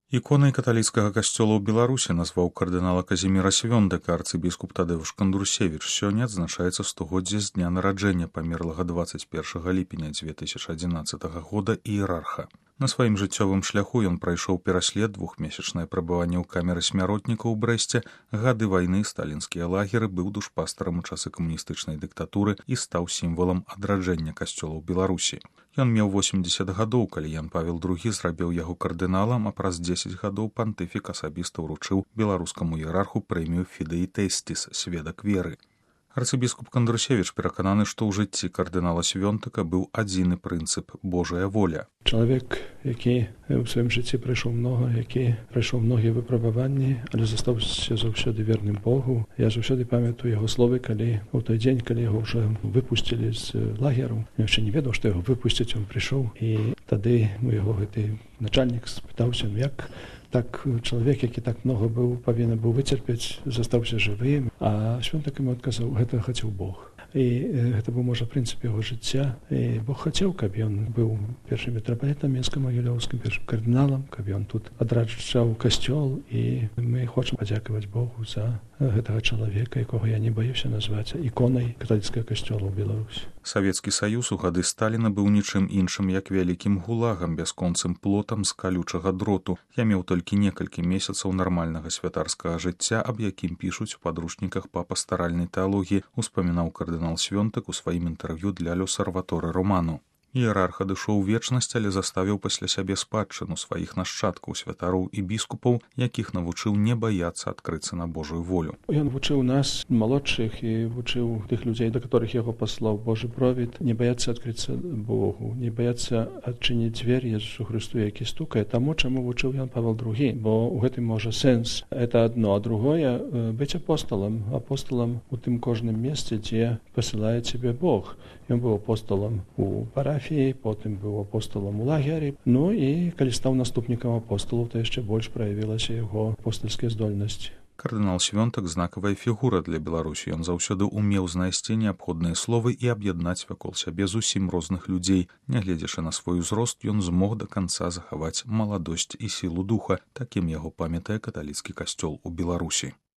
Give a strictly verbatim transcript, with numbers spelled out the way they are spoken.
Іконай каталіцкага касцёла ў Беларусі назваў кардынала Казіміра Свёнтака арцыбіскуп Тадэўш Кандрусевіч. Сёння адзначаецца стагоддзе з дня нараджэння памерлага дваццаць першага ліпеня дзве тысячы адзінаццатага года іерарха. На сваім жыццёвым шляху ён прайшоў пераслед, двухмесячнае прабыванне ў камеры смяротніка ў Брэсце, гады вайны, сталінскія лагеры, быў душпастарам у часы камуністычнай дыктатуры і стаў сімвалам адраджэння касцёла ў Беларусі. Ён меў восемдзесят гадоў, калі Ян Павел другі зрабіў яго кардыналам, а праз дзесяць гадоў пантыфік асабіста ўручыў беларускаму іерарху прэмію Фідеі Тэсціс, сведак веры. Арцыбіскуп Кандрусевіч перакананы, што ў жыцці кардынала Свёнтака быў адзіны прынцып – Божая воля. Чалавек, які ў сваім жыцці прайшоў многа, які прайшоў многія выпрабаванні, але застаўся заўсёды верным Богу. Я заўсёды памятаю яго словы, калі ў той дзень, калі яго ўжо выпусцілі з лагеру. Я яшчэ не ведаў, што яго выпусцяць, ён прыйшоў. І тады у яго гэты начальнік спытаўся, як так чалавек, які так многа быў, павінен быў выцерпець, застаўся жывым. А Свёнтак яму адказаў, гэта хацеў Бог. І гэта быў, можа, прынцып яго жыцця. І Бог хацеў, каб ён быў першым мітрапалітам Мінска-Магілёўскім, першым кардыналам, каб ён тут адраджаў касцёл. І мы хочам падзякаваць Богу за гэтага чалавека, якога я не баюся назваць іконай каталіцкага касцёла ў Беларусі. Савецкі Саюз у гады Сталіна быў нічым іншым, як вялікім гулагам, бясконцым плотам з калючага дроту. Я меў толькі некалькі месяцаў нармальнага святарскага жыцця, аб якім пішуць у падручніках па пастаральнай тэалогіі, успамінаў кардынал Свёнтак у сваім інтэрв'ю для L'Osservatore Romano. Іерарх адышоў у вечнасць, але заставіў пасля сябе спадчыну сваіх нашчадкаў, святароў і біскупаў, якіх навучыў не баяцца адкрыцца на Божую волю. Ён вучыў нас, малодшых, і вучыў тых людзей, да которых яго паслаў Божы провід, не баяцца адкрыцца Богу, не баяцца адчыніць дзвер Jesусу Христу, які стукае, таму, чаму вучыў Ян Павел другі, бо ў гэтым можа сэнс. Это адно, а другое — быць апосталам, апосталам у тым кожным месцы, дзе пасылае цябе Бог. Ён быў апосталам у парафіі, потым быў апосталам у лагеры. Ну і калі стаў наступнікам апосталаў, то яшчэ больш праявілася яго апостальскія здольнасці. Кардынал Свёнтак – знакавая фігура для Беларусі. Ён заўсёды умеў знайсці неабходныя словы і аб'яднаць вакол сябе зусім розных людзей. Нягледзячы на свой узрост, ён змог да канца захаваць маладосць і сілу духа. Такім яго памятае каталіцкі касцёл у Беларусі.